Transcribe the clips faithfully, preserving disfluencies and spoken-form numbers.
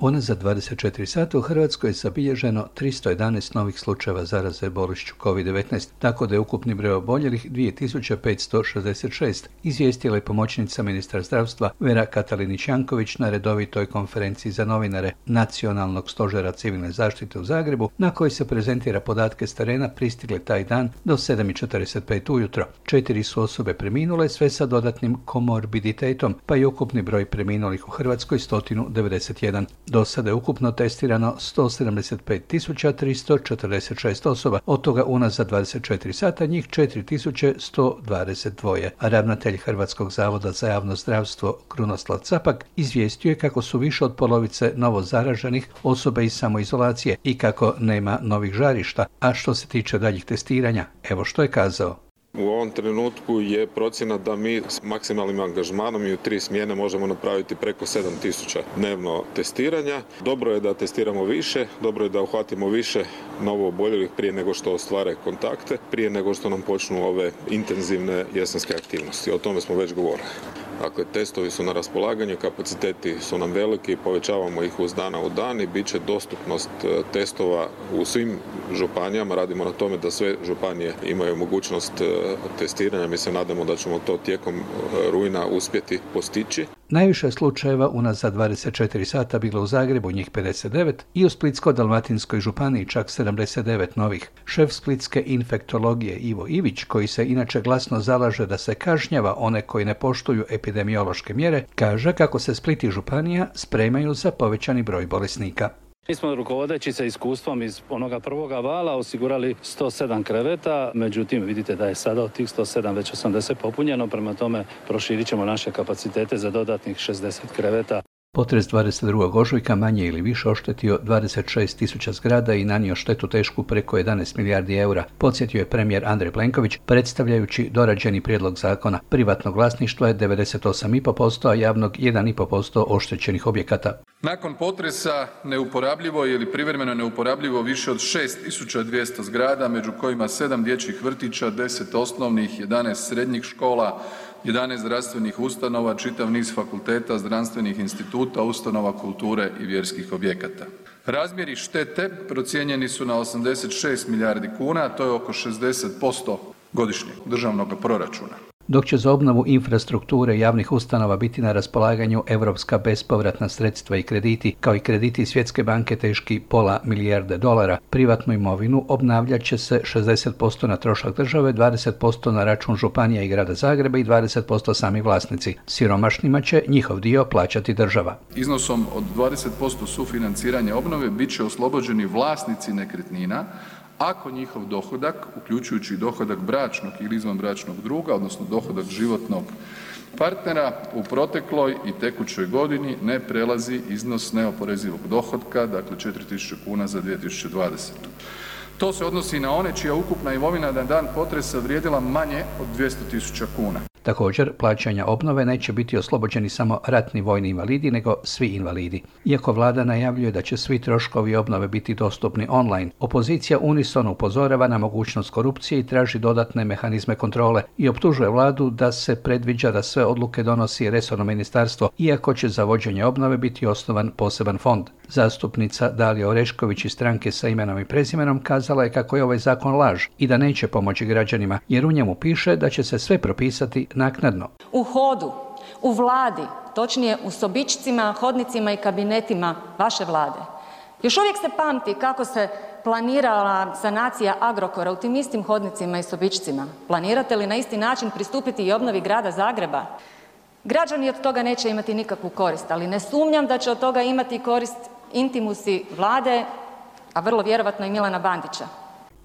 Unazad dvadeset četiri sata u Hrvatskoj je zabilježeno tristo jedanaest novih slučajeva zaraze bolešću kovid devetnaest, tako da je ukupni broj oboljelih dvije tisuće petsto šezdeset šest, izvijestila je pomoćnica ministra zdravstva Vera Katalinić-Janković na redovitoj konferenciji za novinare Nacionalnog stožera civilne zaštite u Zagrebu, na kojoj se prezentira podatke s terena pristigle taj dan do sedam i četrdeset pet ujutro. Četiri su osobe preminule, sve sa dodatnim komorbiditetom, pa je ukupni broj preminulih u Hrvatskoj sto devedeset jedan. Do sada je ukupno testirano sto sedamdeset pet tisuća tristo četrdeset šest osoba, od toga unazad dvadeset četiri sata njih četiri tisuće sto dvadeset dva. A ravnatelj Hrvatskog zavoda za javno zdravstvo Krunoslav Capak izvijestio je kako su više od polovice novo zaraženih osobe iz samoizolacije i kako nema novih žarišta. A što se tiče daljih testiranja, evo što je kazao. U ovom trenutku je procjena da mi s maksimalnim angažmanom i u tri smjene možemo napraviti preko sedam tisuća dnevno testiranja. Dobro je da testiramo više, dobro je da uhvatimo više novo oboljelih prije nego što ostvare kontakte, prije nego što nam počnu ove intenzivne jesenske aktivnosti. O tome smo već govorili. Dakle, testovi su na raspolaganju, kapaciteti su nam veliki, povećavamo ih uz dana u dan i bit će dostupnost testova u svim županijama. Radimo na tome da sve županije imaju mogućnost testiranja. Mi se nadamo da ćemo to tijekom rujna uspjeti postići. Najviše slučajeva unazad dvadeset četiri sata bilo u Zagrebu, njih pedeset devet, i u Splitsko-dalmatinskoj županiji čak sedamdeset devet novih. Šef splitske infektologije Ivo Ivić, koji se inače glasno zalaže da se kažnjava one koji ne poštuju epidemiološke mjere, kaže kako se Split i županija spremaju za povećani broj bolesnika. Mi smo rukovodeći se iskustvom iz onoga prvoga vala osigurali sto sedam kreveta, međutim vidite da je sada od tih sto sedam već osamdeset popunjeno, prema tome proširit ćemo naše kapacitete za dodatnih šezdeset kreveta. Potres dvadeset drugog ožujka manje ili više oštetio dvadeset šest tisuća zgrada i nanio štetu tešku preko jedanaest milijardi eura, podsjetio je premijer Andrej Plenković predstavljajući dorađeni prijedlog zakona. Privatnog vlasništva je devedeset osam zarez pet posto, a javnog jedan zarez pet posto oštećenih objekata. Nakon potresa neuporabljivo je ili privremeno neuporabljivo više od šest tisuća dvjesto zgrada, među kojima sedam dječjih vrtića, deset osnovnih, jedanaest srednjih škola, jedanaest zdravstvenih ustanova, čitav niz fakulteta, znanstvenih instituta, ustanova kulture i vjerskih objekata. Razmjeri štete procijenjeni su na osamdeset šest milijardi kuna, a to je oko šezdeset posto godišnjeg državnog proračuna. Dok će za obnovu infrastrukture javnih ustanova biti na raspolaganju europska bespovratna sredstva i krediti, kao i krediti Svjetske banke teški pola milijarde dolara, privatnu imovinu obnavljat će se šezdeset posto na trošak države, dvadeset posto na račun županija i grada Zagreba i dvadeset posto sami vlasnici. Siromašnima će njihov dio plaćati država. Iznosom od dvadeset posto sufinanciranja obnove bit će oslobođeni vlasnici nekretnina ako njihov dohodak, uključujući dohodak bračnog ili izvanbračnog druga, odnosno dohodak životnog partnera, u protekloj i tekućoj godini ne prelazi iznos neoporezivog dohotka, dakle četiri tisuće kuna za dvije tisuće dvadesetu. To se odnosi na one čija ukupna imovina na dan potresa vrijedila manje od dvjesto tisuća kuna. Također, plaćanja obnove neće biti oslobođeni samo ratni vojni invalidi, nego svi invalidi. Iako vlada najavljuje da će svi troškovi obnove biti dostupni online, opozicija unisono upozorava na mogućnost korupcije i traži dodatne mehanizme kontrole i optužuje vladu da se predviđa da sve odluke donosi resorno ministarstvo, iako će za vođenje obnove biti osnovan poseban fond. Zastupnica Dalija Orešković iz stranke Sa imenom i prezimenom kazala je kako je ovaj zakon laž i da neće pomoći građanima, jer u njemu piše da će se sve propisati naknadno. U hodu, u vladi, točnije u sobičcima, hodnicima i kabinetima vaše vlade, još uvijek se pamti kako se planirala sanacija Agrokora u tim istim hodnicima i sobičcima. Planirate li na isti način pristupiti i obnovi grada Zagreba? Građani od toga neće imati nikakvu korist, ali ne sumnjam da će od toga imati korist intimusi vlade, a vrlo vjerovatno i Milana Bandića.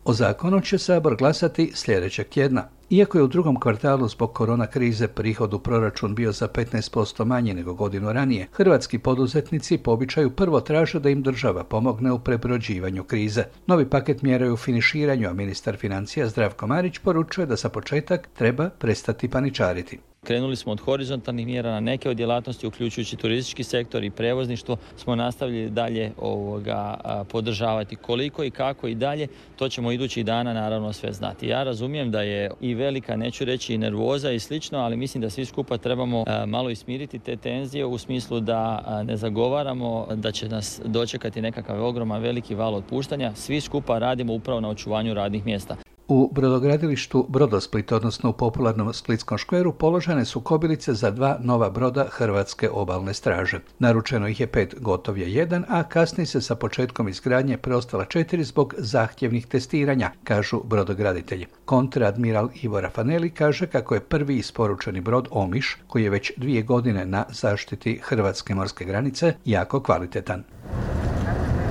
O zakonu će Sabor glasati sljedećeg tjedna. Iako je u drugom kvartalu zbog korona krize prihod u proračun bio za petnaest posto manji nego godinu ranije, hrvatski poduzetnici po običaju prvo traže da im država pomogne u prebrođivanju krize. Novi paket mjera je u finiširanju, a ministar financija Zdravko Marić poručuje da za početak treba prestati paničariti. Krenuli smo od horizontalnih mjera na neke od djelatnosti, uključujući turistički sektor i prevozništvo, smo nastavili dalje ovoga, podržavati. Koliko i kako i dalje, to ćemo idućih dana naravno sve znati. Ja razumijem da je i velika, neću reći i nervoza i slično, ali mislim da svi skupa trebamo malo ismiriti te tenzije u smislu da ne zagovaramo da će nas dočekati nekakav ogroman veliki val otpuštanja. Svi skupa radimo upravo na očuvanju radnih mjesta. U brodogradilištu Brodosplit, odnosno u popularnom Splitskom škveru, položene su kobilice za dva nova broda Hrvatske obalne straže. Naručeno ih je pet, gotov je jedan, a kasni se sa početkom izgradnje preostala četiri zbog zahtjevnih testiranja, kažu brodograditelji. Kontraadmiral Ivo Rafaneli kaže kako je prvi isporučeni brod Omiš, koji je već dvije godine na zaštiti hrvatske morske granice, jako kvalitetan.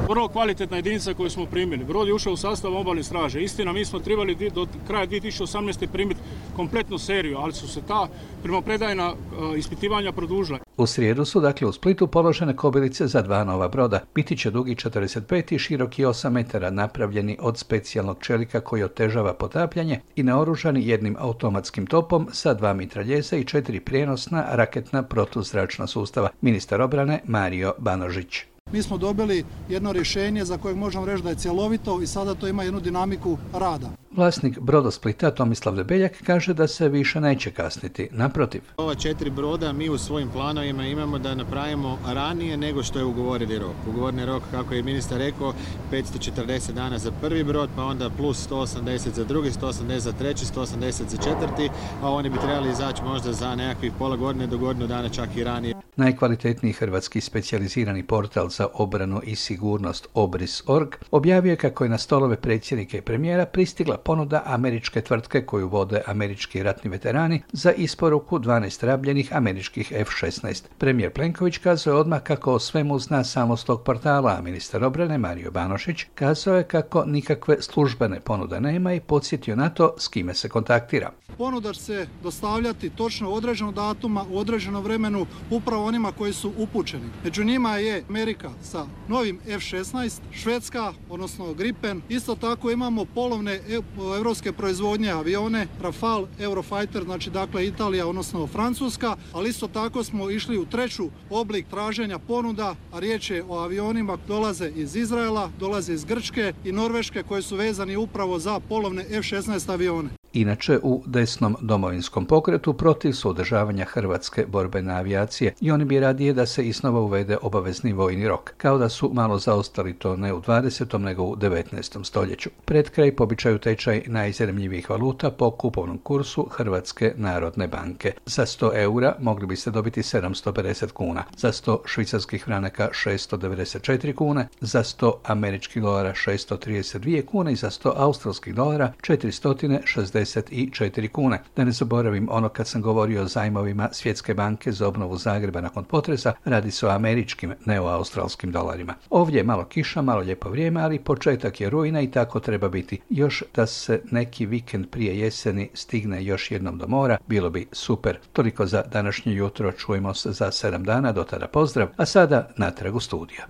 Vrlo kvalitetna jedinica koju smo primili. Brod je ušao u sastav obalne straže. Istina, mi smo trebali do kraja dvije tisuće osamnaeste. primiti kompletnu seriju, ali su se ta primopredajna ispitivanja produžila. U srijedu su dakle u Splitu položene kobilice za dva nova broda. Biti će dugi četrdeset pet i široki osam metara, napravljeni od specijalnog čelika koji otežava potapljanje i naoružani jednim automatskim topom sa dva mitraljeza i četiri prijenosna raketna protuzračna sustava. Ministar obrane Mario Banožić. Mi smo dobili jedno rješenje za koje možemo reći da je cjelovito i sada to ima jednu dinamiku rada. Vlasnik Brodosplita Tomislav Debeljak kaže da se više neće kasniti, naprotiv. Ova četiri broda mi u svojim planovima imamo da napravimo ranije nego što je ugovoreni rok. Ugovoreni rok, kako je ministar rekao, petsto četrdeset dana za prvi brod, pa onda plus sto osamdeset za drugi, sto osamdeset za treći, sto osamdeset za četvrti, a oni bi trebali izaći možda za nekakvih pola godine do godinu dana, čak i ranije. Najkvalitetniji hrvatski specijalizirani portal za obranu i sigurnost Obris točka org objavio je kako je na stolove predsjednika i premijera pristigla ponuda američke tvrtke koju vode američki ratni veterani za isporuku dvanaest rabljenih američkih F šesnaest. Premijer Plenković kazao je odmah kako o svemu zna samo s tog portala, a ministar obrane Mario Banožić kazao je kako nikakve službene ponude nema i podsjetio na to s kime se kontaktira. Ponuda će se dostavljati točno u određenom datuma, u određenom vremenu, upravo onima koji su upućeni. Među njima je Amerika sa novim F šesnaest, Švedska, odnosno Gripen. Isto tako imamo polovne evropske proizvodnje avione, Rafale, Eurofighter, znači dakle Italija, odnosno Francuska, ali isto tako smo išli u treću oblik traženja ponuda, a riječ je o avionima dolaze iz Izraela, dolaze iz Grčke i Norveške koji su vezani upravo za polovne F šesnaest avione. Inače, u desnom domovinskom pokretu protiv su održavanja hrvatske borbene avijacije i oni bi radije da se iznova uvede obavezni vojni rok, kao da su malo zaostali to ne u dvadesetom nego u devetnaestom stoljeću. Pred kraj po običaju tečaj najzanimljivijih valuta po kupovnom kursu Hrvatske narodne banke. Za sto eura mogli biste dobiti sedamsto pedeset kuna, za sto švicarskih franaka šeststo devedeset četiri kune, za sto američkih dolara šeststo trideset dvije kune i za sto australskih dolara četiristo šezdeset četiri kune. Da ne zaboravim ono kad sam govorio o zajmovima Svjetske banke za obnovu Zagreba nakon potresa, radi se o američkim, ne o australskim dolarima. Ovdje je malo kiša, malo lijepo vrijeme, ali početak je rujna i tako treba biti. Još da se neki vikend prije jeseni stigne još jednom do mora, bilo bi super. Toliko za današnje jutro, čujemo se za sedam dana, do tada pozdrav, a sada natrag u studiju.